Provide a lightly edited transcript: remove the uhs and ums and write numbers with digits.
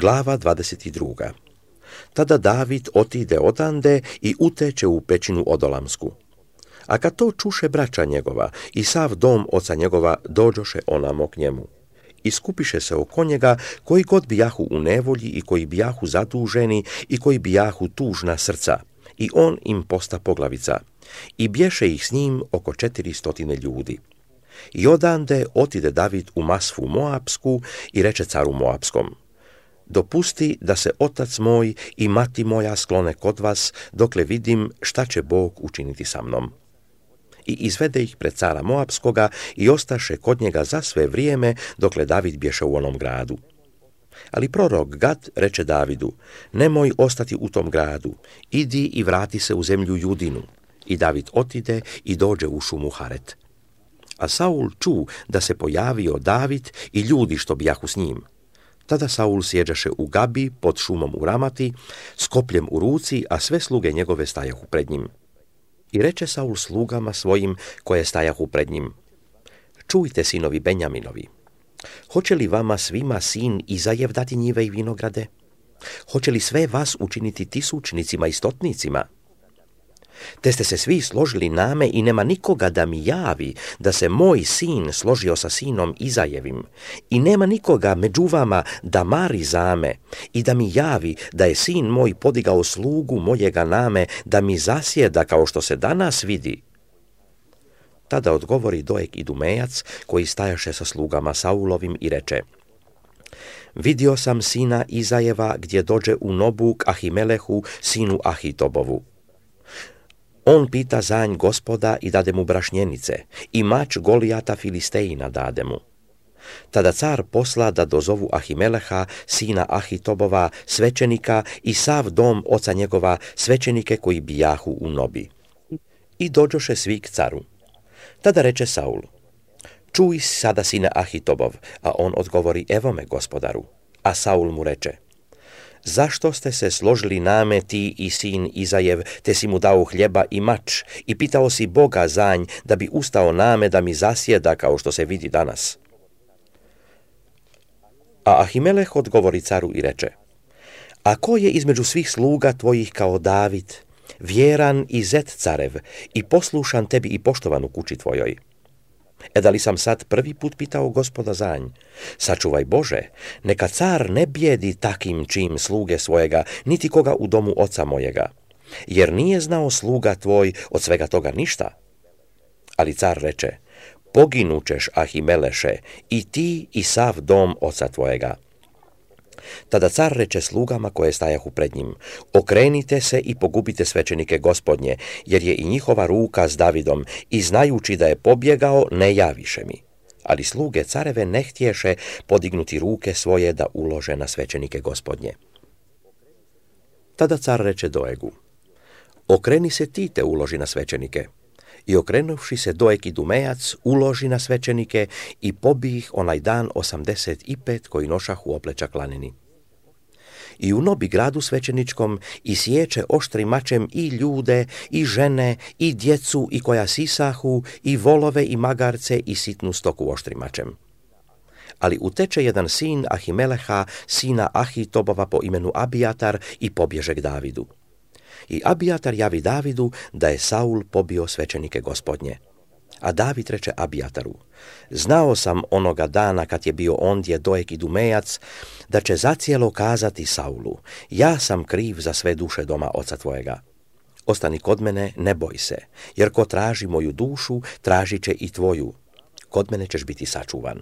Glava 22. Tada David otide odande i uteče u pećinu Odolamsku. A kad to čuše braća njegova i sav dom oca njegova, dođoše onamo k njemu. I skupiše se oko njega koji god bijahu u nevolji i koji bijahu zaduženi i koji bijahu tužna srca. I on im posta poglavica. I bješe ih s njim oko 400 ljudi. I odande otide David u Masfu Moapsku i reče caru Moapskom: dopusti da se otac moj i mati moja sklone kod vas, dokle vidim šta će Bog učiniti sa mnom. I izvede ih pred cara Moapskoga i ostaše kod njega za sve vrijeme, dokle David bješe u onom gradu. Ali prorok Gad reče Davidu: nemoj ostati u tom gradu, idi i vrati se u zemlju Judinu. I David otide i dođe u šumu Haret. A Saul ču da se pojavio David i ljudi što bijahu s njim. Tada Saul sjeđaše u Gabi pod šumom u Ramati, s kopljem u ruci, a sve sluge njegove stajahu pred njim. I reče Saul slugama svojim koje stajahu pred njim: čujte, sinovi Benjaminovi, hoće li vama svima sin Izajev dati njive i vinograde? Hoće li sve vas učiniti tisućnicima i stotnicima? Te ste se svi složili name i nema nikoga da mi javi da se moj sin složio sa sinom Izajevim i nema nikoga među vama da mari zame i da mi javi da je sin moj podigao slugu mojega name da mi zasjeda kao što se danas vidi. Tada odgovori Doeg Idumejac koji stajaše sa slugama Saulovim i reče: vidio sam sina Izajeva gdje dođe u Nobu k Ahimelehu, sinu Ahitobovu. On pita za nj Gospoda i dade mu brašnjenice, i mač Golijata Filistejina dade mu. Tada car posla da dozovu Ahimeleha, sina Ahitobova, svećenika, i sav dom oca njegova, svećenike koji bijahu u Nobi. I dođoše svi k caru. Tada reče Saul: čuj sada, sine Ahitobov, a on odgovori: evo me, gospodaru. A Saul mu reče: zašto ste se složili name ti i sin Izajev, te si mu dao hljeba i mač, i pitao si Boga za nj da bi ustao name da mi zasjeda kao što se vidi danas? A Ahimeleh odgovori caru i reče: a ko je između svih sluga tvojih kao David, vjeran i zet carev, i poslušan tebi i poštovan u kući tvojoj? Da li sam sad prvi put pitao Gospoda za nj? Sačuvaj Bože, neka car ne bijedi takim čim sluge svojega, niti koga u domu oca mojega, jer nije znao sluga tvoj od svega toga ništa. Ali car reče: poginućeš, Ahimeleše, i ti i sav dom oca tvojega. Tada car reče slugama koje stajahu pred njim: okrenite se i pogubite svećenike Gospodnje, jer je i njihova ruka s Davidom, i znajući da je pobjegao, ne javiše mi. Ali sluge careve ne htješe podignuti ruke svoje da ulože na svećenike Gospodnje. Tada car reče Doegu: okreni se ti te uloži na svećenike. I okrenuvši se Doeg Idumejac uloži na svećenike i pobi ih onaj dan 85 koji nošahu oplečak laneni. I u Nobi gradu svećeničkom isječe oštrim mačem i ljude, i žene, i djecu, i koja sisahu, i volove, i magarce, i sitnu stoku oštrim mačem. Ali uteče jedan sin Ahimeleha, sina Ahitobova po imenu Abijatar, i pobježe k Davidu. I Abijatar javi Davidu da je Saul pobio svećenike Gospodnje. A David reče Abijataru: znao sam onoga dana kad je bio ondje Doeg Idumejac, da će zacijelo kazati Saulu: ja sam kriv za sve duše doma oca tvojega. Ostani kod mene, ne boj se, jer ko traži moju dušu, tražit će i tvoju. Kod mene ćeš biti sačuvan.